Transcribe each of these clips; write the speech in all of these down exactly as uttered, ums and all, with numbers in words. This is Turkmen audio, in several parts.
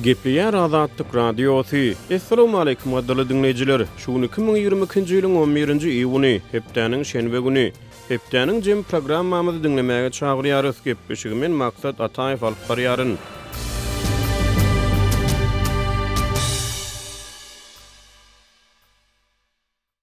Gepleýär Azatlyk Radiosy. Assalamu alaykum gadyrly diňleýjiler. Şu gün iki müň ýigrimi ikinji ýylyň on birinji iýuny, hepdäniň şenbe güni. Hepdäniň jem programmamyzy diňlemäge çagyrýarys. Gepleşigi men Maksat Ataýew alyp barýaryn.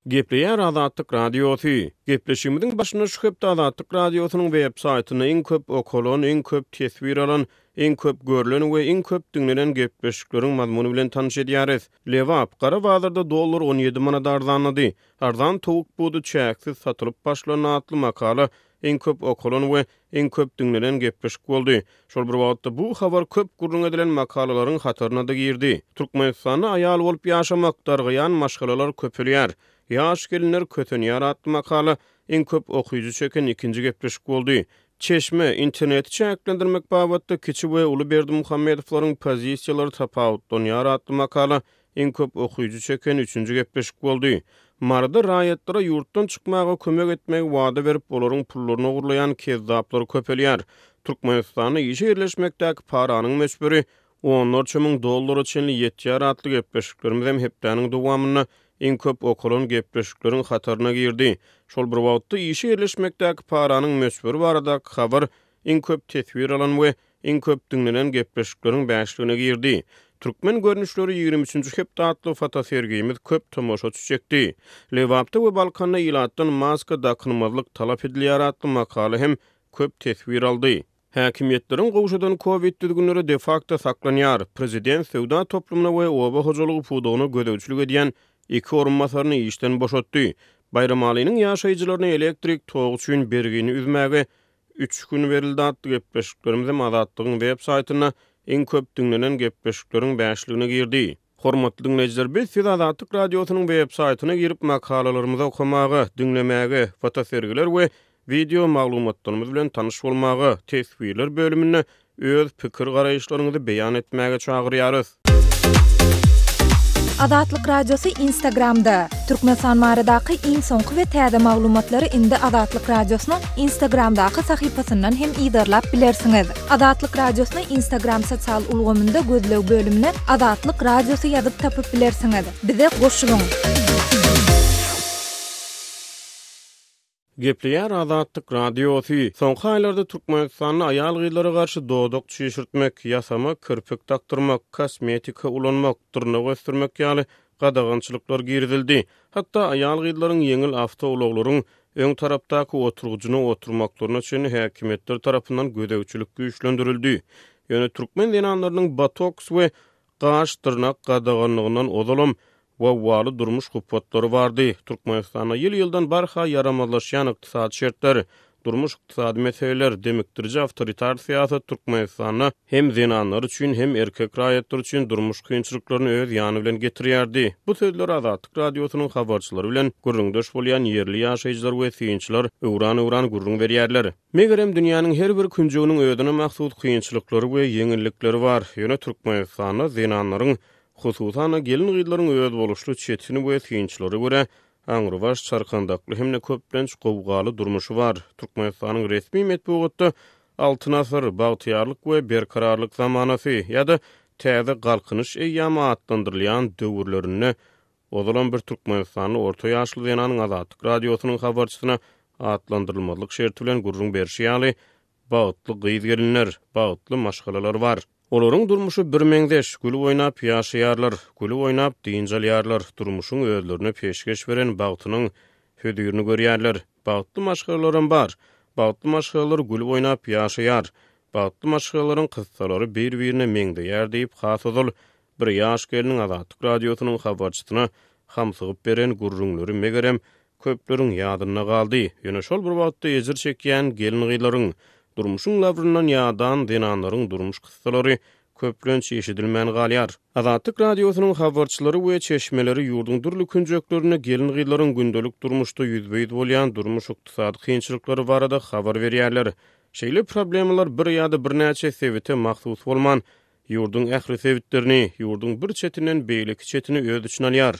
Gepleýär Azatlyk Radiosy. Gepleşigimiziň başynda şu hepde Azatlyk Radiosynyň web saýtynda iň köp okalan, iň köp teswir alan, iň köp görülen we iň köp diňlenen gepleşikleriň mazmuny bilen tanyş edýäris. Lebap, Gara bazarda dollar on ýedi manat arzanlady. Arzan towuk budy çäksiz satylyp başlandy atly makala iň köp okalan we iň köp diňlenen gepleşik boldy. Şol bir wagtda bu habar köp gürrüň edilen makalalaryň hataryna da girdi. Türkmenistanda aýal bolup ýaşamak, dargaýan maşgalalar köpelýär. Ýaş gelinler kösenýär atly makala iň köp okyjy çeken ikinji gepleşik boldy. Çeşme, interneti çäklendirmek babatda kiçi we uly Berdimuhamedowlaryň pozisiýalary tapawutlanýar atly makala iň köp okyjy çeken üçünji gepleşik boldy. Maryda raýatlara ýurtdan çykmaga kömek etmegi wada berip, olaryň pullaryny ogurlaýan kezzaplar köpelýär. Türkmenistanda işe ýerleşmekdäki paranyň möçberi onlarça müň dollara çenli ýetýär atly gepleşiklerimiz hem hepdäniň dowamynda iň köp okalan gepleşikleriň hataryna girdi. Şol bir wagtda işe ýerleşmekdäki paranyň möçberi baradaky habar iň köp teswir alan we iň köp diňlenen gepleşikleriň bäşligine girdi. Türkmen görnüşleri ýigrimi üçünji hepde atly fotosergimiz köp tomaşaçy çekdi. Lebapda we Balkanda ilatdan maska dakynmazlyk talap edilýär atly makala hem köp teswir aldy. Häkimiýetleriň gowşadan COVID düzgünleri de facto saklanýar. Prezident söwda toplumyna we oba hojalygy pudagyna gözegçilik edýän iki orunbasaryny işden boşatdy. Baýramalynyň ýaşaýjylaryna elektrik togy üçin bergini üzmäge üç gün berildi atly gepleşiklerimiz hem Azatlygyň web saýtynda iň köp diňlenen gepleşikleriň bäşligine girdi. Hormatly diňleýjiler, biz siz Azatlyk Radiosynyň web saýtyna girip makalalarymyzy okamaga, diňlemäge, fotosergiler we video maglumatlarymyz bilen tanyş bolmaga, teswirler bölüminde öz pikir garaýyşlaryňyzy beýan etmäge çagyrýarys. Azatlyk Radiosy Instagramda. Türkmenistan baradaky iň soňky we täze maglumatlary indi Azatlyk Radiosynyň Instagramdaky sahypasyndan hem yzarlap bilersiňiz. Azatlyk Radiosyny Instagram sosial ulgamynda gözleg bölümine Azatlyk Radiosy ýazyp tapyp bilersiňiz. Bize goşulyň. Gepleýär Azatlyk Radiosy. Soňky aýlarda Türkmenistanda aýal-gyzlara garşy dodak çişirtmek, ýasama kirpik dakdyrmak, kosmetika ulanmak, dyrnak ösdürmek ýaly gadagançylyklar girizildi. Hatda aýal-gyzlaryň ýeňil awtoulaglaryň öň tarapdaky oturgyjyna oturmaklaryna çenli häkimiýetler tarapyndan gözegçilik güýçlendirildi. Ýöne türkmen zenanlarynyň botoks we gaş dyrnak gadaganlygyndan ozalam wawwaly durmuş hupatlary bardy. Türkmenistanda ýyl-ýyldan barha ýaramazlaşýan ykdysady şertler, durmuş ykdysady meseleler, demikdiriji awtoritar syýasat Türkmenistanda hem zenanlar üçin hem erkek raýatlar üçin durmuş kynçylyklaryny öz ýany bilen getirýärdi. Bu sözler Azatlyk Radiosynyň habarçylary bilen gürrüňdeş bolýan ýerli ýaşaýjylar we synçylar öwran-öwran gürrüň berýärler. Megerem dünýäniň her bir künjeginiň özüne mahsus kynçylyklary we ýeňillikleri bar. Ýöne Türkmenistanda zenanlaryň, hususan-da gelin-gyzlaryň öz boluşly çetini we synçylara görä aňrybaş çarkandakly hem-de köplenç gowgaly durmuşy bar. Türkmenistanyň resmi metbugatda Altyn asyr, bagtyýarlyk we berkararlyk zamanasy ýa-da täze galkynyş eýýamy atlandyrylýan döwürlerinde ozalam bir Türkmenistanly orta ýaşly zenanyň Azatlyk Radiosynyň habarçysyna atlandyrylmazlyk şerti bilen gürrüň berşi ýaly bagtly gyz gelinler, bagtly maşgalalar bar. Olaryň durmuşy bir meňzeş, gülüp oýnap ýaşaýarlar, gülüp oýnap dynç alýarlar, durmuşyň özlerine peşgeş beren bagtynyň hödürini görýärler. Bagtly maşgalalaram bar. Bagtly maşgalalar gülüp oýnap ýaşaýar. Bagtly maşgalalaryň kyssalary bir-birine meňzeýär diýip, has ozal bir ýaş geliniň Azatlyk Radiosynyň habarçysyna hamsygyp beren gürrüňleri megerem köpleriň ýadynda galdy. Ýöne şol bir wagtda ejir çekýän gelin-gyzlaryň, durmuşyň labryndan ýadan zenanlaryň durmuş kyssalary köplenç eşidilmän galýar. Azatlyk Radiosynyň habarçylary we çeşmeleri ýurduň dürli künjeklerinde gelin-gyzlaryň gündelik durmuşda ýüzbe-ýüz bolýan durmuş ykdysady kynçylyklary barada habar berýärler. Şeýle problemalar bir ýa-da birnäçe sebite mahsus bolman, ýurduň ähli sebitlerini, ýurduň bir çetinden beýleki çetini öz içine alýar.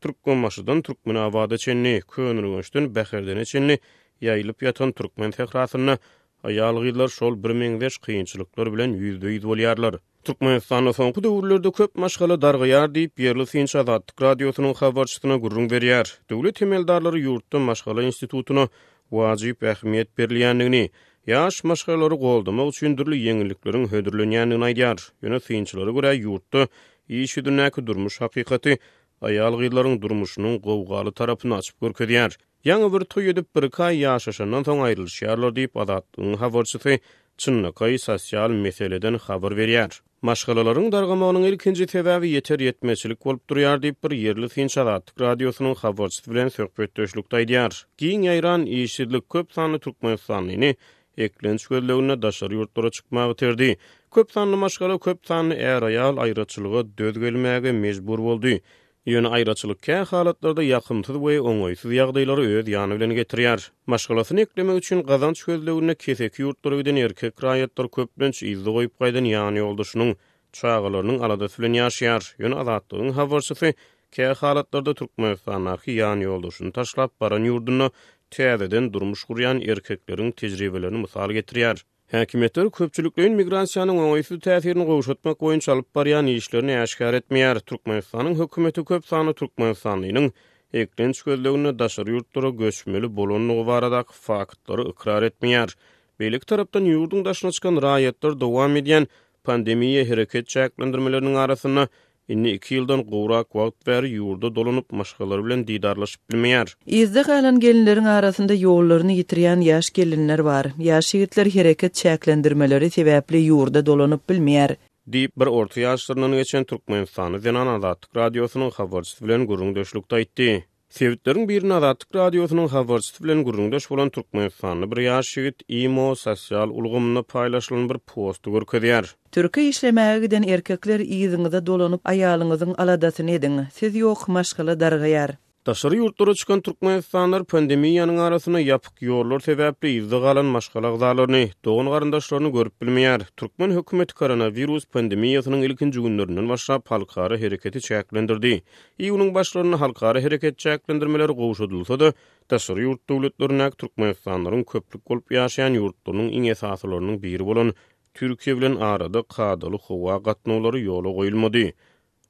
Türkmenbaşydan Türkmenabada çenli, Köneürgençden Bäherdene çenli ýaýylyp ýatan türkmen sährasynda aýal-gyzlar şol bir meňzeş kynçylyklar bilen ýüzbe-ýüz bolýarlar. Türkmenistanda soňky döwürlerde köp maşgala dargaýar diýip, ýerli synçy Azatlyk Radiosynyň habarçysyna gürrüň berýär. Döwlet emeldarlary ýurtda maşgala institutyna wajyp ähmiýet berilýändigini, ýaş maşgalalary goldamak üçin dürli ýeňillikleriň hödürlenýändigini aýdýar. Ýöne synçylara görä, ýurtda iş ýüzündäki durmuş hakykaty aýal-gyzlaryň durmuşynyň gowgaly tarapyny açyp görkezýär. Ýaňy bir toý edip, bir-iki aý ýaşaşandan soň aýrylyşýarlar diýip, Azatlygyň habarçysy çynlakaý sosial meseleden habar berýär. Maşgalalaryň dargamagynyň ilkinji sebäbi ýeter-ýetmezçilik bolup durýar diýip, bir ýerli synçy Azatlyk Radiosynyň habarçysy bilen söhbetdeşlikde aýdýar. Giň ýaýran işsizlik köp sanly türkmenistanlyny eklenç gözleginde daşary ýurtlara çykmaga iterdi. Köp sanly maşgala, köp sanly är-aýal aýraçylyga döz gelmäge mejbur boldy. Ýöne aýraçylyk kä halatlarda ýakymsyz we oňaýsyz ýagdaýlary öz ýany bilen getirýär. Maşgalasyny eklemek üçin gazanç gözleginde keseki ýurtlara giden erkek raýatlar köplenç yzda goýup gaýdan ýan ýoldaşynyň, çagalarynyň aladasy bilen ýaşaýar. Ýöne Azatlygyň habarçysy kä halatlarda Türkmenistandaky ýan ýoldaşyny taşlap baran ýurdunda täzeden durmuş gurýan erkekleriň tejribelerini mysal getirýär. Häkimiýetler köpçülikleýin migrasiýanyň oňaýsyz täsirini gowşatmak boýunça alyp barýan işlerini äşgär etmeýär. Türkmenistanyň hökümeti köp sanly türkmenistanlynyň eklenç gözleginde daşary ýurtlara göçmeli bolandygy baradaky faktlary ykrar etmeýär. Beýleki tarapdan ýurduň daşyna çykan raýatlar dowam edýän pandemiýa hereket çäklendirmeleriniň arasynda indi iki ýyldan gowrak wagt bäri ýurda dolanyp maşgalalary bilen didarlaşyp bilmeýär. Yzda galan gelinleriň arasynda ýollaryny ýitirýän ýaş gelinler bar. Ýaş ýigitler hereket çäklendirmeleri sebäpli ýurda dolanyp bilmeýär. Diýip, bir orta ýaşlaryndan geçen Türkmenistanly zenan Azatlyk Radiosynyň habarçysy bilen gürrüňdeşlikde aýtdy. Sebitleriň birinde Azatlyk Radiosynyň habarçysy bilen gürrüňdeş bolan Türkmenistanly bir ýaş ýigit imo sosial ulgamynda paýlaşylan bir posty görkezýär. Türkiýä işlemäge giden erkekler yzyňyza dolanyp aýalyňyzyň aladasyny ediň. Siz ýok maşgala dargaýar. Daşary ýurtlara çykan türkmenistanlylar pandemiýanyň arasynda ýapyk ýollar sebäpli yzda galan maşgala agzalaryny, dogan garyndaşlaryny görüp bilmeýär. Türkmen hökümeti koronawirus pandemiýasynyň ilkinji günlerinden başlap halkara hereketi çäklendirdi. Iýunyň başlarynda halkara hereket çäklendirmeleri gowşadylsa-da, daşary ýurt döwletlerindäki türkmenistanlylaryň köplük bolup ýaşaýan ýurtlarynyň iň esasylarynyň biri bolan Türkiýe bilen arada kadaly howa gatnawlary ýola goýulmady.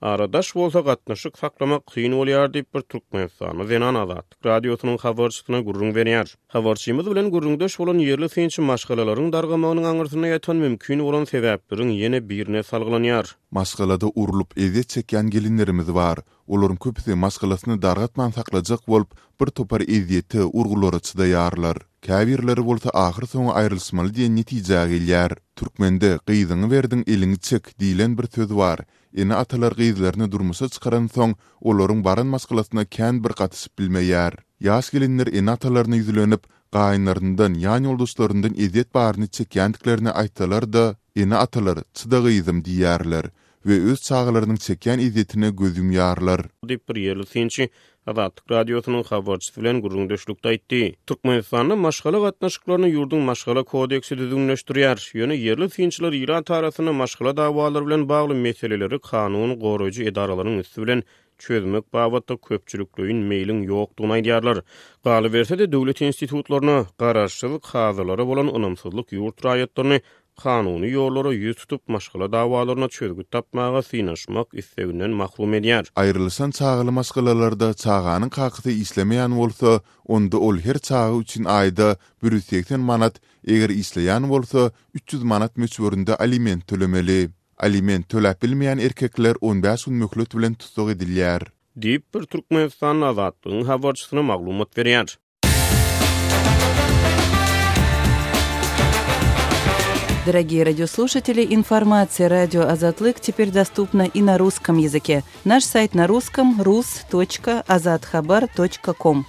Aradaş bolsa gatnaşyk saklamak kyn bolýar diýip bir Türkmenistanly zenan Azatlyk Radiosynyň habarçysyna gürrüň berýär. Habarçymyz bilen gürrüňdeş bolan ýerli synçy maşgalalaryň dargamagynyň aňyrsynda ýatan mümkin bolan sebäpleriň ýene birine salgylanýar. Maşgalada urlup ezýet çekýän gelinlerimiz bar. Olaryň köpüsi maşgalasyny dargatman saklajak bolup, bir topar ezýete, urgulara çydaýarlar. Käbirleri bolsa ahyr soňy aýrylyşmaly diýen netijä gelýär. Türkmende gyzyňy berdiň eliňi çek diýlen bir söz bar. Ene-atalar gyzlaryny durmuşa çykaransoň, olaryň baran maşgalasyna kän bir gatyşyp bilmeýär. Ýaş gelinler ene-atalaryna ýüzlenip, gaýynlaryndan, ýan ýoldaşlaryndan ezýet baryny çekýändiklerini aýtsalar-da, ene-atalar çyda gyzym diýýärler we öz çagalarynyň çekýän ezýetine göz ýumýarlar. Diýip bir ýerli synçy Azatlyk Radiosynyň habarçysy bilen gürrüňdeşlikde aýtdy. Türkmenistanda maşgala gatnaşyklaryny ýurduň maşgala kodeksi düzgünleşdirýär. Ýöne ýerli synçylar ilat arasynda maşgala dawalary bilen bagly meseleleri kanun goraýjy edaralaryň üsti bilen çözmek babatda köpçülikleýin meýliň ýokdugyny aýdýarlar. Galyberse-de döwlet institutlaryna, garaşsyz kazylara bolan ynamsyzlyk ýurt raýatlaryny kanuny ýollara ýüz tutup maşgala dawalaryna çözgüt tapmaga synaşmak isteginden mahrum edýär. Aýrylyşan çagaly maşgalalarda çaganyň kakasy işlemeýän bolsa, onda ol her çaga üçin aýda bir ýüz segsen manat, eger işleýän bolsa üç ýüz manat möçberinde aliment tölemeli. Aliment töläp bilmeýän erkekler on bäş gün möhlet bilen tussag edilýär. Diýip bir Türkmenistanly Azatlygyň habarçysyna maglumat berýär. Дорогие радиослушатели, информация радио Азатлык теперь доступна и на русском языке. Наш сайт на русском рус точка азатхабар точка ком.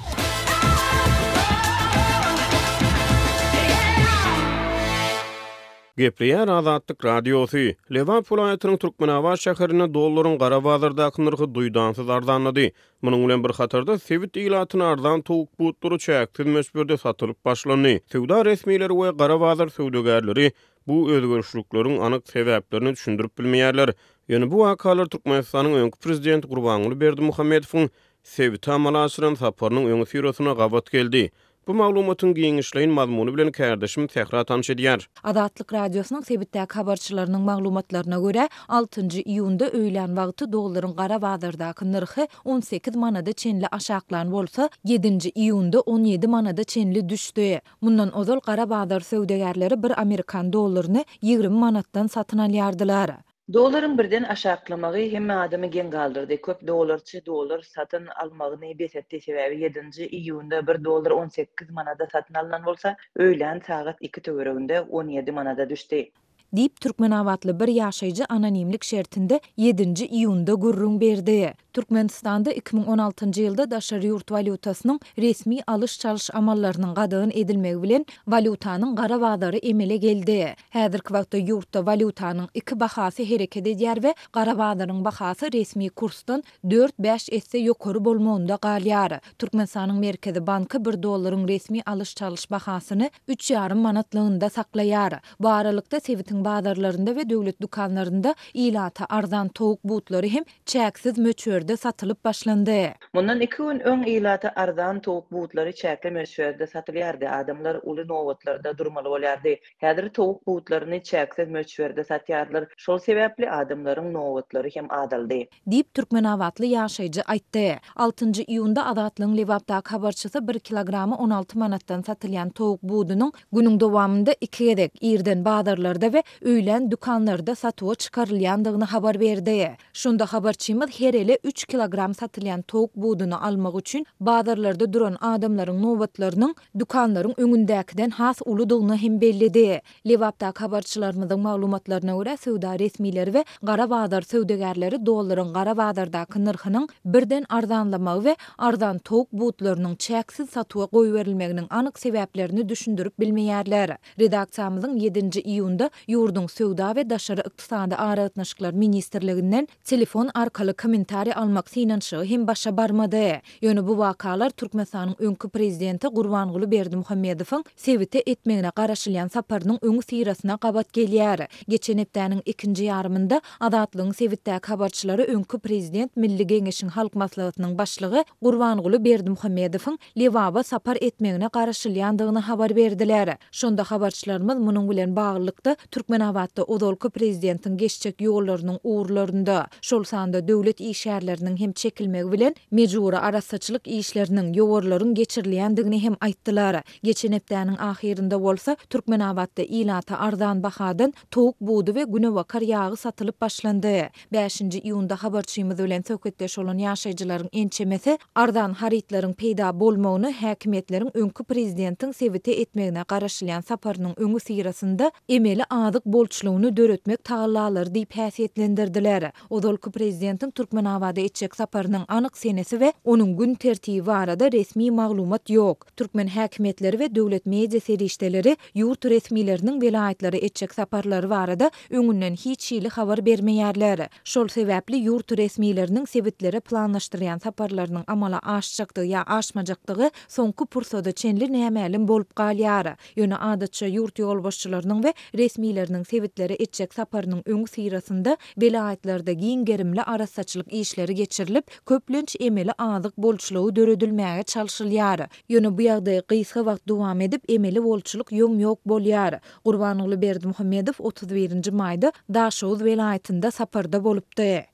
Gepleýär Azatlyk Radiosy. Lebap welaýatynyň Türkmenabat şäherinde dollaryň gara bazardaky nyrhy duýdansyz arzanlady. Munuň bilen bir hatarda sebit ilatyna arzan towuk butlary çäksiz möçberde satylyp başlandy. Söwda resmileri we gara bazar söwdagärleri bu özgerişlikleriň anyk sebäplerini düşündirip bilmeýärler. Ýöne bu wakalar Türkmenistanyň öňki prezidenti Gurbanguly Berdimuhamedowyň sebite amala aşyran saparynyň öňi syrasyna gabat geldi. Bu maglumatyň giňişleýin mazmuny bilen kärdeşim Sähra tanyş edýär. Azatlyk Radiosynyň sebitdäki habarçylarynyň maglumatlaryna görä, altynjy iýunda öýlän wagty dollaryň gara bazardaky nyrhy on sekiz manada çenli aşaklan bolsa, ýedinji iýunda on ýedi manada çenli düşdi. Mundan ozal gara bazar söwdagärleri bir amerikan dollaryny ýigrimi manatdan satyn alýardylar. Dollaryň birden aşaklamagy hemme adamy geň galdyrdy. Köp dollarçy dollar satyn almagyny bes etdi. Sebäbi ýedinji iýunda bir dollar on sekiz manada satyn alnan bolsa, öýlän sagat iki töwereginde on ýedi manada düşdi. Diýip, türkmenabatly bir ýaşaýjy anonimlik şertinde ýedinji iýunda gürrüň berdi. Türkmenistanda iki müň on altynjy ýylda daşary ýurt walýutasynyň resmi alyş-çalyş amallarynyň gadagan edilmegi bilen walýutanyň gara bazary emele geldi. Häzirki wagtda ýurtda walýutanyň iki bahasy hereket edýär we gara bazaryň bahasy resmi kursdan dört-bäş esse ýokary bolmagynda galýar. Türkmenistanyň Merkezi banky bir dollaryň resmi alyş-çalyş bahasyny üç ýarym manatlygynda saklaýar. Bu aralykda sebitiň bazarlarynda we döwlet dükanlarynda ilata arzan towuk butlary hem çäksiz möçberde satylyp başlandy. Mundan iki gün öň ilata arzan towuk butlary çäkli möçberde satylýardy. Adamlar uly nobatlarda durmaly bolýardy. Häzir towuk butlaryny çäksiz möçberde satýarlar. Şol sebäpli adamlaryň nobatlary hem azaldy. Diýip, türkmenabatly ýaşaýjy aýtdy. Altynjy iýunda Azatlygyň Lebapdaky habarçysy bir kilogramy on alty manatdan satylýan towuk budunyň günüň dowamynda iki gezek irden bazarlarda we öýlän dükanlarda satuwa çykarylýandygyny habar berdi. Şonda habarçymyz her ele üç kilogram satylýan towuk buduny almak üçin bazarlarda duran adamlaryň nobatlarynyň dükanlaryň öňündäkiden has uludygyny hem belledi. Lebapdaky habarçylarymyzyň maglumatlaryna görä, söwda resmileri we gara bazar söwdagärleri dollaryň gara bazardaky nyrhynyň birden arzanlamagy we arzan towuk butlarynyň çäksiz satuwa goýberilmeginiň anyk sebäplerini düşündirip bilmeýärler. Redaksiýamyzyň ýedinji iýunda ýurduň Söwda we daşary ykdysady aragatnaşyklar ministrliginden telefon arkaly kommentariý almak synanyşygy hem başa barmady. Ýöne bu wakalar Türkmenistanyň öňki prezidenti Gurbanguly Berdimuhamedowyň sebite etmegine garaşylýan saparynyň öňi syrasyna gabat gelýär. Geçen hepdäniň ikinji ýarymynda Azatlygyň sebitdäki habarçylary öňki prezident Milli Geňeşiň Halk Maslahatynyň başlygy Gurbanguly Berdimuhamedowyň Lebaba sapar etmegine garaşylýandygyny habar berdiler. Şonda habarçylarymyz munuň bilen baglylykda Türkmenabatda ozalky prezidentiň geçjek ýollarynyň ugurlarynda, şol sanda döwlet işgärleriniň hem çekilmegi bilen mejbury arassaçylyk işleriniň, ýowarlaryň geçirilýändigini hem aýtdylar. Geçen hepdäniň ahyrynda bolsa Türkmenabatda ilata arzan bahadan towuk budy we günebakar ýagy satylyp başlandy. Bäşinji iýunda habarçymyz bilen söhbetdeş bolan ýaşaýjylaryň ençemesi arzan harytlaryň peýda bolmagyny häkimiýetleriň öňki prezidentiň sebite etmegine garaşylýan saparynyň öňi syrasynda emeli azyk bolçulygyny döretmek tagallalary diýip häsiýetlendirdiler. Ozalky prezidentiň Türkmenabada etjek saparynyň anyk senesi we onuň gün tertibi barada resmi maglumat ýok. Türkmen häkimiýetleri we döwlet media serişdeleri ýurt resmileriniň welaýatlara etjek saparlary barada öňünden hiç hili habar bermeýärler. Şol sebäpli ýurt resmileriniň sebitlere planlaşdyrýan saparlarynyň amala aşjakdygy ýa aşmajakdygy soňky pursada çenli nämälim bolup galýar. Ýöne adatça ýurt ýolbaşçylarynyň we resmileriniň sebitlere etjek saparynyň öňi syrasynda welaýatlarda giň gerimli arassaçylyk işleri geçirilip, köplenç emeli azyk bolçulygy döredilmäge çalşylýar. Ýöne bu ýagdaý gysga wagt dowam edip, emeli bolçulyk ýom-ýok bolýar. Gurbanguly Berdimuhamedow otuz birinji maýda Daşoguz welaýatynda saparda bolupdy.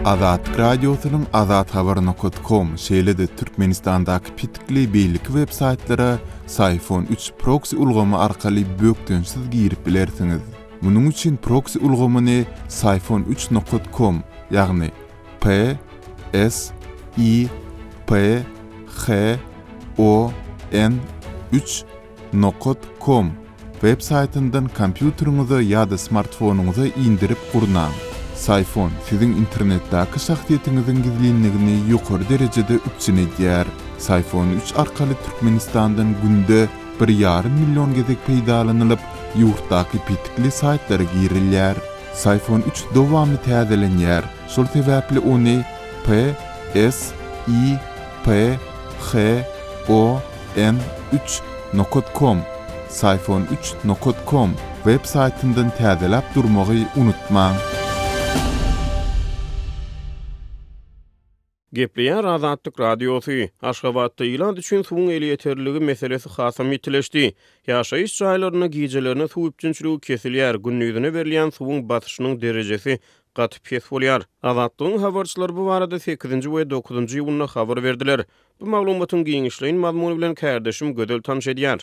Azatlyk Radiosynyň azathabar nokta com, şeýle-de Türkmenistandaky petikli beýleki web saýtlara Syfon üç proksi ulgamy arkaly bökdençsiz girip bilersiňiz. Munuň üçin proksi ulgamyny Syfon üç nokta com, ýagny P S I P H O N üç nokta com web saýtyndan kompýuteriňize ýa-da smartfonyňyza indirip gurnaň. Syfon siziň internetdäki şahsyýetiňiziň gizlinligini ýokary derejede üpjün edýär. Syfon üç arkaly Türkmenistandan günde bir ýarym million gezek peýdalanylyp, ýurtdaky petikli saýtlara girilýär. Syfon üç dowamly täzelenýär. Şol sebäpli ony P S I P H O N üç nokta com, Syfon üç nokta com web saýtyndan täzeläp durmagy unutmaň. Gepleýär Azatlyk Radiosy. Aşgabatda ilat üçin suwuň elýeterliligi meselesi hasam ýitileşdi. Ýaşaýyş jaýlarynda gijelerine suw üpjünçiligi kesilýär, gündizine berilýän suwuň basyşynyň derejesi gaty pes bolýar. Azatlygyň habarçylary bu barada sekizinji we dokuzynjy iýunda habar berdiler. Bu maglumatyň giňişleýin mazmuny bilen kärdeşim Gözel tanyş edýär.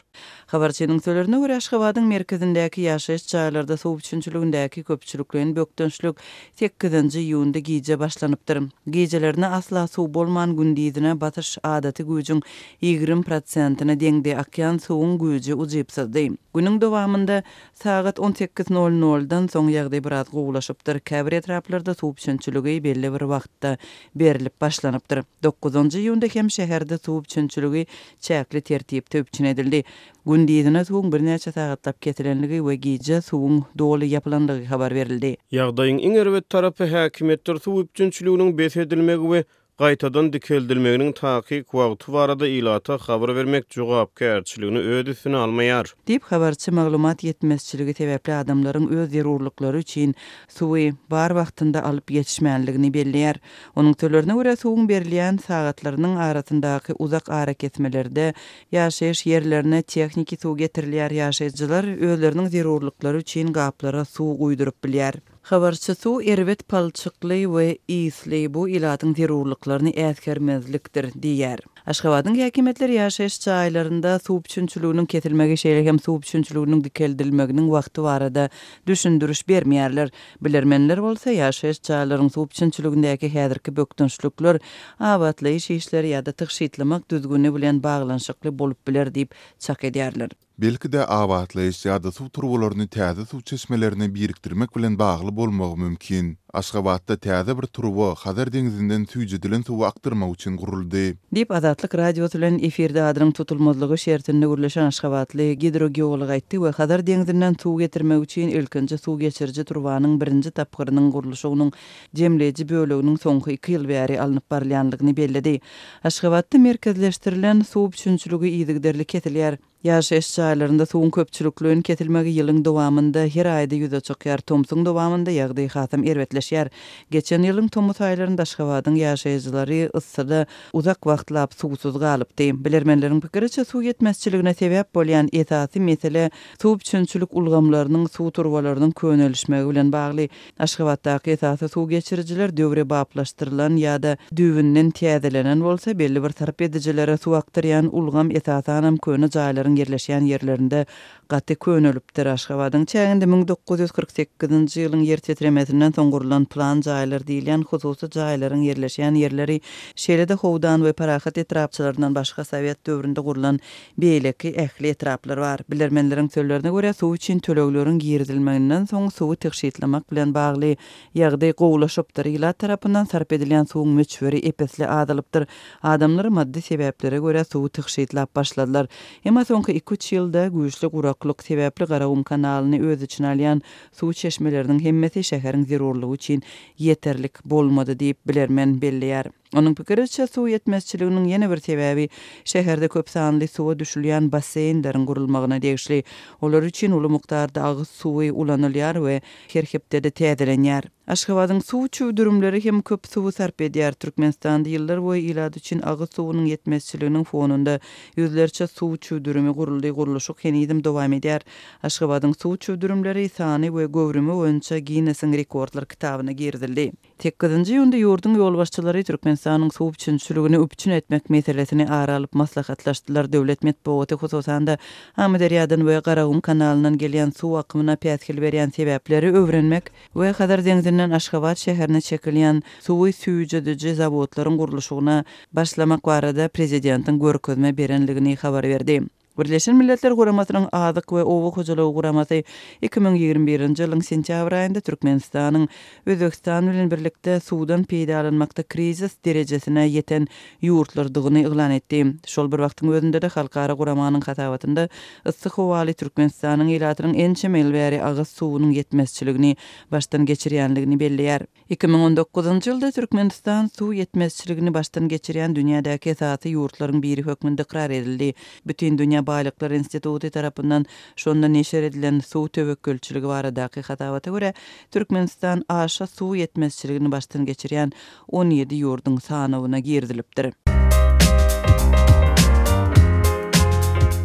Habarçynyň sözlerine görä, Aşgabadyň merkezindäki ýaşaýyş jaýlarda suw üpjünçiligindäki köpçülikleýin bökdençlik sekizinji iýunda gije başlanypdyr. Gijelerine asla suw bolman, gündizine basyş adaty güýjüň ýigrimi prosentine deňdi, akýan suwuň güýji ujypsyzdy. Günüň dowamynda sagat on sekiz nol noldan soň ýagdaý biraz gowulaşypdyr. Käbir etraplarda suw üpjünçiligi belli bir wagtda berilip başlanypdyr. Dokuzynjy iýunda hem şäherde suw üpjünçiligi çäkli tertipde üpjün edildi. Gündizine suwuň birnäçe sagatlap kesilenligi we gije suwuň doly ýapylanlygy habar berildi. Ýagdaýyň iň erbet tarapy häkimiýetler suw üpjünçiliginiň bes edilmegi we gaýtadan dikeldilmeginiň takyk wagty barada ilata habar bermek jogapkärçiligini öz üstüne almaýar. Diýip habarçy maglumat ýetmezçiligi sebäpli adamlaryň öz zerurlyklary üçin suwy bar wagtynda alyp ýetişmänligini belleýär. Onuň sözlerine görä suwuň berilýän sagatlarynyň arasyndaky uzak arakesmelerde ýaşaýyş ýerlerine tehniki suw getirilýär. Ýaşaýjylar özleriniň zerurlyklary üçin gaplara suw guýduryp bilýär. Habarçy suw erbet palçykly we ýyly bu ilatyň zerurlyklaryny äsgermezlikdir diýär. Aşgabadyň häkimiýetleri ýaşaýyş jaýlarynda suw üpjünçiliginiň kesilmegi, şeýle hem suw üpjünçiliginiň dikeldilmeginiň wagty barada düşündiriş bermeýärler. Bilermenler bolsa ýaşaýyş jaýlaryň suw üpjünçiligindäki häzirki bökdençlikler abatlaýyş işleri ýa-da tygşytlamak düzgüni bilen baglanyşykly bolup biler diýip çak edýärler. Belki-de abatlaýyş ýa-da suw turbalaryny täze suw çeşmelerine birikdirmek bilen bagly bolmagy mümkin. Aşgabatda täze bir turba Hazar deňzinden süýjedilen suwy akdyrmak üçin guruldy. Diýip Azatlyk Radiosy bilen efirde adynyň tutulmazlygy şertinde gürleşen Aşgabatly gidrogeolog aýtdy we Hazar deňzinden suw getirmek üçin ilkinji suw geçiriji turbanyň birinji tapgyrynyň gurluşygynyň jemleýji böleginiň soňky iki ýyl bäri alnyp barylýanlygyny belledi. Aşgabatda merkezleşdirilen suw üpjünçiligi yzygiderli kesilýär. Ýaşaýyş jaýlarynda suwuň köpçülikleýin kesilmegi ýylyň dowamynda her aýda ýüze çykýar. Tomsuň dowamynda ýagdaý hasam erbetleşýär. Geçen ýylyň tomus aýlarynda Aşgabadyň ýaşaýjylary yssyda uzak wagtlap suwsuz galypdy. Bilermenleriň pikiriçe suw ýetmezçiligine sebäp bolýan esasy mesele suw üpjünçilik ulgamlarynyň suw turbalarynyň könelişmegi bilen bagly. Aşgabatdaky esasy suw geçirijiler döwrebaplaşdyrylan ýa-da düwünden täzelenen bolsa, belli bir sarp edijilere suw akdyrýan ulgam esasanam köne jaýlaryň ýerleşýän ýerlerinde gaty könelipdir. Aşgabadyň çäginde müň dokuz ýüz kyrk sekizinji ýylyň ýer titremesinden soň gurlan plan jaýlar diýilýän hususy jaýlaryň ýerleşýän ýerleri, şeýle-de Howdan we Parahat etrapçalaryndan başga Sowet döwründe gurlan beýleki ähli etraplar bar. Bilermenleriň sözlerine görä suw üçin tölegleriň girizilmeginden soň suwy tygşytlamak bilen bagly ýagdaý gowulaşypdyr. Ilat tarapyndan sarp edilýän suwuň möçberi epesli azalypdyr. Adamlar maddy sebäplere görä suwy tygşytlap başladylar. Emma soňky iki üç ýylda güýçli guraklyk sebäpli Garagum kanalyny öz içine alýan suw çeşmeleriniň hemmesi şäheriň zerurlygy üçin ýeterlik bolmady diýip bilermen belleýär. Onuň pikiriçe suw ýetmezçiliginiň ýene bir sebäbi şäherde köp sanly suwa düşülýän basseýnleriň gurulmagyna degişli. Olar üçin uly mukdarda agyz suwy ulanylýar we her hepdede täzelenýär. Aşgabadyň suw çüwdürimleri hem köp suwy sarp edýär. Türkmenistanda ýyllar boýy ilat üçin agyz suwunyň ýetmezçiliginiň fonunda ýüzlerçe suw çüwdürimi guruldy, gurluşyk henizem dowam edýär. Aşgabadyň suw çüwdürimleri sany we göwrümi boýunça Guinnessiň rekordlar kitabyna girizildi. Sekizinji iýunda ýurduň ýolbaşçylary Türkmenistanyň suw üpjünçiligini üpjün etmek meselesini ara alyp maslahatlaşdylar. Döwlet metbugaty hususan-da Amyderýadan we Garagum kanalyndan gelýän suw akymyna päsgel berýän sebäpleri öwrenmek we Hazar deňzinden Aşgabat şäherine çekilýän suwy süýjediji zawodlaryň gurluşygyna başlamak barada prezidentiň görkezme berenligini habar berdi. Birleşen Milletler Guramasynyň Azyk we Oba hojalygy guramasy iki müň ýigrimi birinji ýylyň sentýabr aýynda Türkmenistanyň Özbegistan bilen birlikde suwdan peýdalanmakda krizis derejesine ýeten ýurtlardygyny yglan etdi. Şol bir wagtyň özünde-de halkara guramanyň hasabatynda yssy howaly Türkmenistanyň ilatynyň ençeme ýyl bäri agyz suwunyň ýetmezçiligini başdan geçirýänligini belleýär. Iki müň on dokuzynjy ýylda Türkmenistan suw ýetmezçiligini başdan geçirýän dünýädäki esasy ýurtlaryň biri hökmünde ykrar edildi. Bütün dünýä Baýlyklar instituty tarapyndan şonda neşir edilen suw töwekgelçiligi baradaky hasabata görä, Türkmenistan aşa suw ýetmezçiligini başdan geçirýän on ýedi ýurduň sanawyna girizilipdir.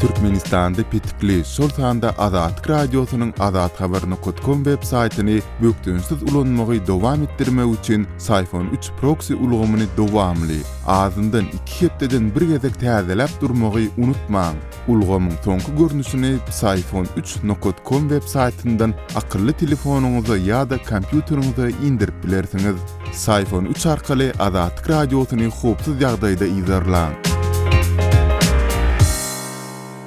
Türkmenistanda petikli, şol sanda Azatlyk Radiosynyň azathabar nokat kom web saýtyny bökdençsiz ulanmagy dowam etdirmek üçin Syfon üç proksi ulgamyny dowamly, azyndan iki hepdeden bir gezek täzeläp durmagy unutmaň. Ulgamyň soňky görnüşini Syfon üç nokat kom web saýtyndan akylly telefonyňyza ýa-da kompýuteriňize indirip bilersiňiz. Syfon üç arkaly Azatlyk Radiosyny howpsuz ýagdaýda yzarlaň.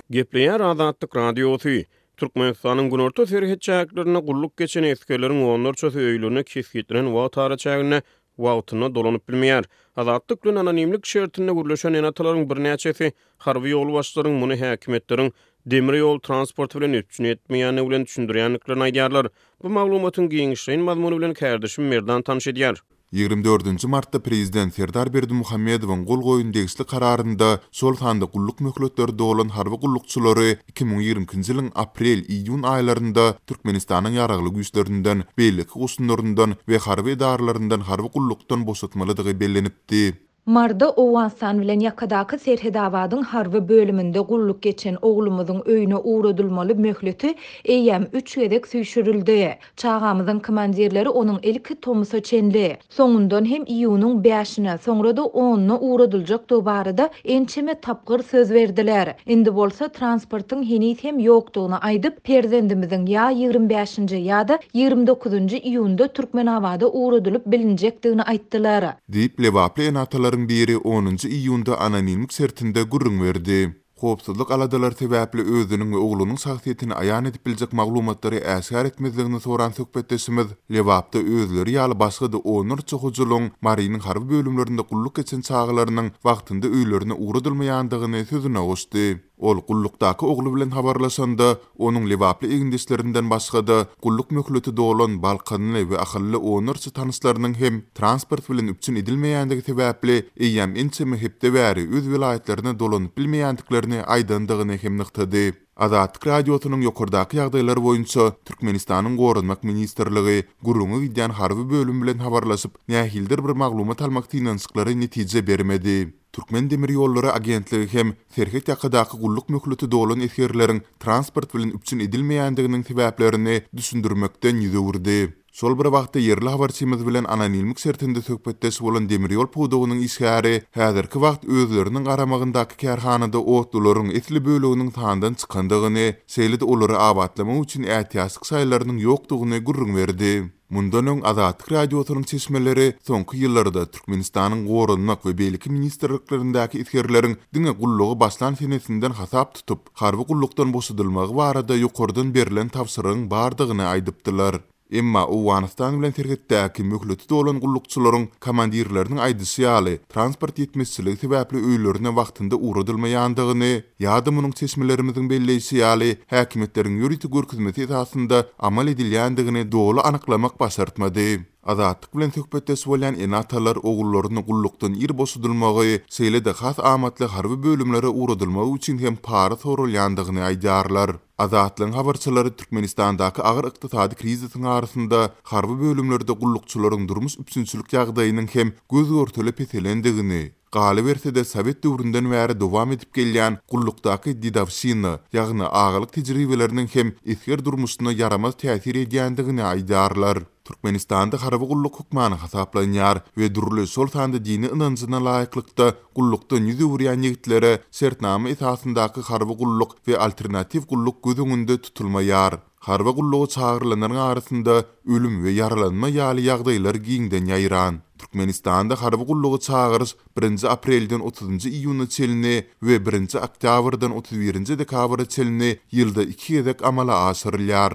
Gepleýär Azatlyk Radiosy. Türkmenistanyň günorta serhet çäklerinde gulluk geçen esgerleriň onlarçasy öýlerine kesgitlenen wagt araçäginde wagtynda dolanyp bilmeýär. Azatlyk bilen anonimlik şertinde gürleşen ene-atalaryň birnäçesi harby ýolbaşçylaryň muny häkimiýetleriň demir ýol transporty bilen üpjün etmeýändigi bilen düşündirýändiklerini aýdýarlar. Bu maglumatyň giňişleýin mazmuny bilen kärdeşim Merdan tanyş edýär. Ýigrimi dördünji martda prezident Serdar Berdimuhamedowyň gol goýun degişli kararynda şol sanda gulluk möhletleri dolan harby gullukçylary iki müň ýigrimi ikinji ýylyň aprel-iýun aýlarynda Türkmenistanyň ýaragly güýçlerinden, beýleki goşunlaryndan we harby edaralaryndan harby gullukdan boşatmalydygy bellenipdi. Marda Owganystan bilen ýakadaky Serhedabadyň harby bölüminde gulluk geçen oglumyzyň öýüne ugradylmaly möhleti eýýäm üç gezek süýşürildi. Çagamyzyň komandirleri onuň ilki tomusa çenli, soňundan hem iýunyň bäşine, soňra da onuna ugradyljakdygy barada ençeme tapgyr söz berdiler. Indi bolsa transportyň heniz hem ýokdugyny aýdyp, perzendimiziň ýa ýigrimi bäşinji ýa-da ýigrimi dokuzynjy iýunda Türkmenabada ugradylyp bilinjekdigini aýtdylar. Diýip, Lebaply ene-atalaryň biri onunjy iýunda anonimlik şertinde gürrüň berdi. Howpsuzlyk aladalary sebäpli özüniň we oglunyň şahsyýetini aýan edip biljek maglumatlary äşgär etmezligini soran söhbetdeşimiz Lebapda özleri ýaly başga-da onlarça hojalygyň Marynyň harby bölümlerinde gulluk geçen çagalarynyň wagtynda öýlerine ugradylmaýandygyny sözüne goşdy. Ol gullukdaky ogly bilen habarlaşanda, onuň Lebaply egindeşlerinden başga-da gulluk möhleti dolan Balkanly we Ahally onlarça tanyşlarynyň hem transport bilen üpjün edilmeýändigi sebäpli eýýäm ençeme hepde bäri öz welaýatlaryna dolanyp bilmeýändiklerini aýdandygyny hem nygtady. Azatlyk Radiosynyň ýokardaky ýagdaýlar boýunça Türkmenistanyň Goranmak ministrligi gürrüňe gidýän harby bölüm bilen habarlaşyp, nähilidir bir maglumat almak synanyşyklary netije bermedi. Türkmen Demir Ýollary agentligi hem serhet ýakadaky gulluk möhleti dolan esgerleriň transport bilen üpjün edilmeýändiginiň sebäplerini düşündirmekden ýüz öwürdi. Şol bir wagtda ýerli habarçymyz bilen anonimlik şertinde söhbetdeş bolan demir ýol pudagynyň işgäri häzirki wagt özleriniň garamagyndaky kärhanada otlularyň esli böleginiň sandan çykandygyny, şeýle-de olary abatlamak üçin ätiýaçlyk şaýlarynyň ýokdugyny gürrüň berdi. Mundan öň Azatlyk Radiosynyň çeşmeleri soňky ýyllarda Türkmenistanyň Goranmak we beýleki ministrliklerindäki esgerleriň diňe gullugy başlan senesinden hasap tutup, harby gullukdan boşadylmagy barada ýokardan berlen tabşyrygyň bardygyny aýdypdylar. Emma Owganystan bilen serhetdäki möhleti dolan gullukçylaryň komandirleriniň aýdyşy ýaly, transport ýetmezçiligi sebäpli öýlerine wagtynda ugradylmaýandygyny ýa-da munuň çeşmelerimiziň belleýşi ýaly, häkimiýetleriň ýörite görkezmesi esasynda amal edilýändigini doly anyklamak başartmady. Azatlyk bilen söhbetdeş bolýan ene-atalar ogullaryny gullukdan ir boşadylmagy, şeýle-de has amatly harby bölümlere ugradylmagy üçin hem para sorulýandygyny aýdýarlar. Azatlygyň habarçylary Türkmenistandaky agyr ykdysady krizisiň arasynda harby bölümlerde gullukçylaryň durmuş üpjünçilik ýagdaýynyň hem göz görtele peselendigini, galyberse-de Sowet döwründen bäri dowam edip gelýän gullukdaky didawşina, ýagny agalyk tejribeleriniň hem esger durmuşyna ýaramaz täsir edýändigini aýdýarlar. Türkmenistanda harby gulluk hökmany hasaplanýar we dürli şol sanda dini ynanjyna laýyklykda gullukdan ýüz öwürýän ýigitlere şertnama esasyndaky harby gulluk we alternatiw gulluk göz öňünde tutulmaýar. Harby gullugy çagyrylanlaryň arasynda ölüm we ýaralanma ýaly ýagdaýlar giňden ýaýran. Türkmenistanda harby gullugy çagyryş birinji aprelden otuzynjy iýuna çenli we birinji oktýabrdan otuz birinji dekabra çenli ýylda iki gezek amala aşyrylýar.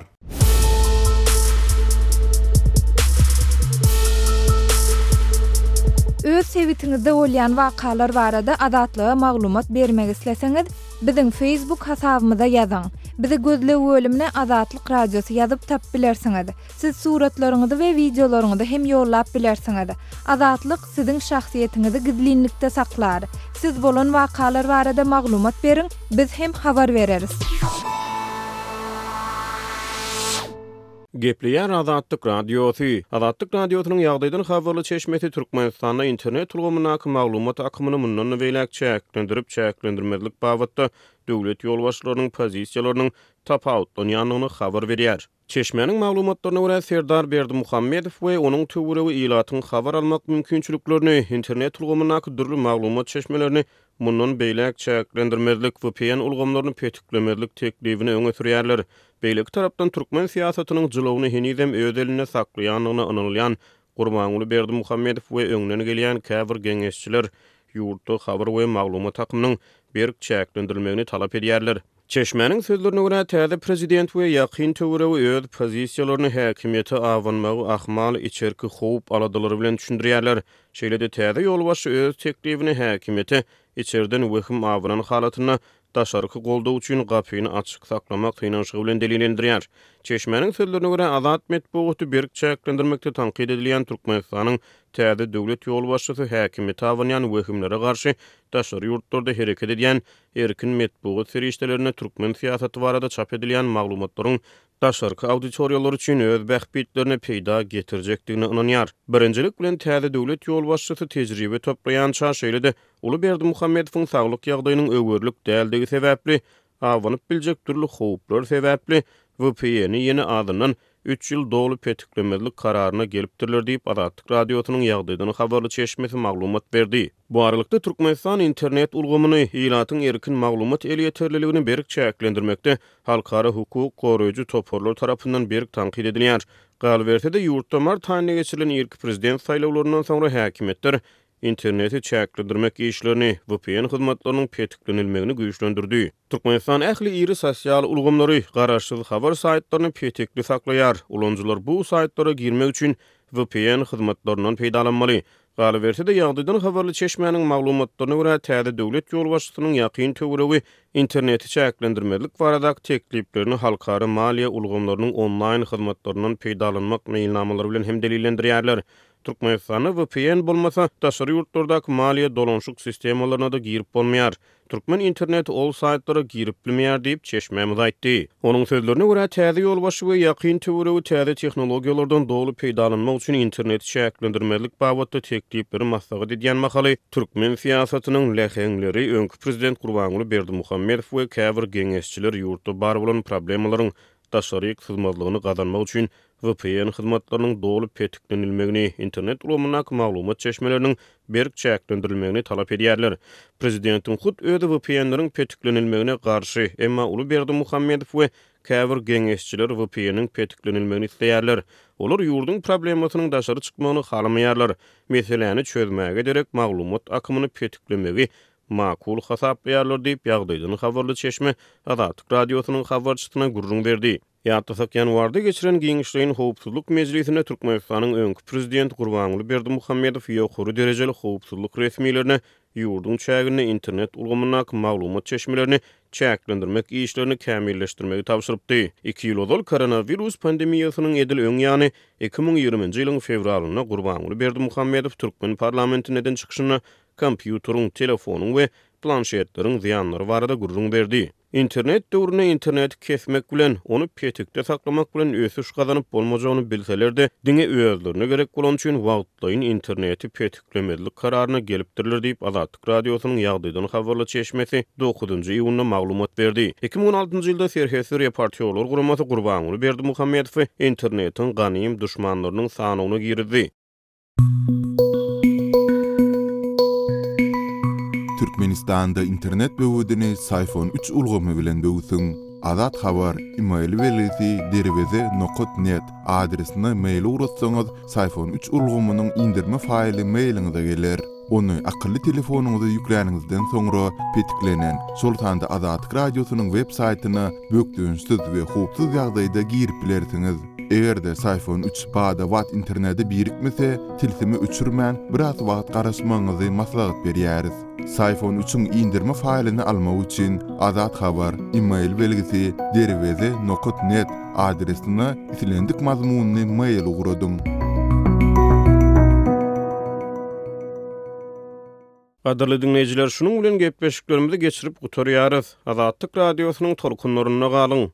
Öz sebitiňizde bolýan wakalar barada Azatlyga maglumat bermek isleseňiz, biziň Facebook hasabymyza ýazyň. Bizi gözleg bölümine Azatlyk Radiosy ýazyp tapyp bilersiňiz. Siz suratlaryňyzy we wideolaryňyzy hem ýollap bilersiňiz. Azatlyk siziň şahsyýetiňizi gizlinlikde saklar. Siz bolan wakalar barada maglumat beriň, biz hem habar bereris. Gepleýär Azatlyk Radiosy. Azatlyk Radiosynyň ýagdaýdan habarly çeşmesi Türkmenistanda internet ulgamyndaky maglumat akymyny mundan beýläk çäklendirip, çäklendirmezlik babatda döwlet ýolbaşçylarynyň pozisiýalarynyň tapawutlanýandygyny habar berýär. Çeşmäniň maglumatlaryna görä Serdar Berdimuhamedow we onuň töweregi ilatyň habar almak mümkinçiliklerini, internet ulgamyndaky dürli maglumat çeşmelerini mundan beýläk çäklendirmezlik, V P N ulgamlaryny petiklemezlik teklibini öňe sürýärler. Beýleki tarapdan türkmen syýasatynyň jylawyny henizem öz elinde saklaýandygyna ynanylýan Gurbanguly Berdimuhamedow we öňden gelýän käbir geňeşçiler ýurtda habar we maglumat akymynyň berk çäklendirilmegini talap edýärler. Çeşmäniň sözlerine görä täze prezident we ýakyn töweregi öz pozisiýalaryny häkimiýete abanmagy ahmal içerki howp aladalary bilen düşündirýärler. Şeýle-de täze ýolbaşçy öz teklibini häkimiýete içerden wehim abanan halatynda daşarky goldaw üçin gapyny açyk saklamak synanyşygy bilen delillendirýär. Çeşmäniň sözlerine görä Azat metbugaty berk çäklendirmekde tankyt edilýän Türkmenistanyň täze döwlet ýolbaşçysy häkimiýete abanýan wehimlere garşy daşary ýurtlarda hereket edýän erkin metbugat serişdelerine türkmen syýasaty barada çap edilýän maglumatlaryň daşarky auditoriýalar üçin öz bähbitlerine peýda getirjekdigine ynanýar. Birinjilik bilen täze döwlet ýolbaşçysy tejribe toplaýança şeýle-de Uly Berdimuhamedowyň saglyk ýagdaýynyň öwürlik däldigi sebäpli abanyp biljek dürli howplar sebäpli V P N-i ýene azyndan üç ýyl doly petiklemezlik kararyna gelipdirler diýip Azatlyk Radiosynyň ýagdaýdan habarly çeşmesi maglumat berdi. Bu aralykda Türkmenistan internet ulgamyny, ilatyň erkin maglumat elýeterliligini berk çäklendirmekde halkara hukuk goraýjy toparlar tarapyndan berk tankyt edilýär. Galyberse-de ýurtda mart aýynda geçirilen ilki prezident saýlawlaryndan soňra häkimiýetler interneti çäklendirmek işlerini, V P N hyzmatlarynyň petiklenilmegini güýçlendirdi. Türkmenistan ähli iri sosial ulgamlary, garaşsyz habar saýtlaryny petikli saklaýar. Ulanyjylar bu saýtlara girmek üçin V P N hyzmatlaryndan peýdalanmaly. Galyberse-de ýagdaýdan habarly çeşmäniň maglumatlaryna görä täze döwlet ýolbaşçysynyň ýakyn töweregi interneti çäklendirmezlik baradaky tekliplerini halkara maliýe ulgamlarynyň onlaýn hyzmatlaryndan peýdalanmak meýilnamalary bilen hem delillendirýärler. Türkmenistanda V P N bolmasa, daşary ýurtlardaky maliýe dolanşyk sistemalaryna da girip bolmaýar. Türkmen interneti ol saýtlara girip bilmeýär diýip çeşmämiz aýtdy. Onuň sözlerine görä täze ýolbaşçy we ýakyn töweregi täze tehnologiýalardan doly peýdalanmak üçin interneti çäklendirmezlik babatda teklipleri maslahat edýän mahaly türkmen syýasatynyň läheňleri öňki prezident Gurbanguly Berdimuhamedow we käbir geňeşçiler ýurtda bar bolan problemalaryň daşary syzmazlygyny gazanmak üçin V P N hyzmatlarynyň doly petiklenilmegini, internet ulgamyndaky maglumat çeşmeleriniň berk çäklendirilmegini talap edýärler. Prezidentiň hut özi V P N-leriň petiklenilmegine garşy, emma Uly Berdimuhamedow we käbir geňeşçiler V P N-iň petiklenilmegini isleýärler. Olar ýurduň problemasynyň daşary çykmagyny halamaýarlar. Meseläni çözmäge derek maglumat akymyny petiklemegi makul hasaplaýarlar diýip ýagdaýdan habarly çeşme Azatlyk Radiosynyň habarçysyna gürrüň berdi. Ýatlasak ýanwarda geçiren giňişleýin howpsuzlyk mejlisinde Türkmenistanyň öňki prezidenti Gurbanguly Berdimuhamedow ýokary derejeli howpsuzlyk resmilerine ýurduň çäginde internet ulgamyndaky maglumat çeşmelerini çäklendirmek işlerini kämilleşdirmegi tabşyrypdy. Iki ýyl ozal koronawirus pandemiýasynyň edil öň ýany iki müň ýigriminji ýylyň fewralynda Gurbanguly Berdimuhamedow türkmen parlamentinden çykyşynda kompýuteriň, telefonyň we planşetleriň zyýanlary barada gürrüň berdi. Internet döwründe interneti kesmek bilen, ony petikde saklamak bilen ösüş gazanyp bolmajagyny bilseler-de, diňe özlerine gerek bolan üçin wagtlaýyn interneti petiklemezlik kararyna gelipdirler diýip Azatlyk Radiosynyň ýagdaýdan habarly çeşmesi dokuzynjy iýunda maglumat berdi. Iki müň on altynjy ýylda Serhetsiz reportýorlar guramasy Gurbanguly Berdimuhamedowy internetiň ganym duşmanlarynyň sanawyna girizdi. Türkmenistanda internet böwedini Syfon üç ulgamy bilen böwsüň. Azat Habar, e-mail belgisi derweze nokat net adresine mail ugratsaňyz, Syfon üç ulgamynyň indirme faýly mailiňize geler. Ony akylly telefonyňyza ýükläniňizden soňra petiklenen, şol sanda Azatlyk Radiosynyň web saýtyna bökdençsiz we howpsuz ýagdaýda girip bilersiňiz. Eger-de Psiphon üç bada-bat internete birikmese, tilsimi öçürmän, biraz wagt garaşmagyňyzy maslahat berýäris. Psiphon üçüň indirme faýlyny almak üçin Azat Habar e-mail belgisi derweze nokat net adresine islendik mazmunly mail ugradyň. Gadyrly diňleýjiler, şunuň bilen gepleşiklerimizi geçirip gutarýarys. Azatlyk Radiosynyň tolkunlarynda galyň.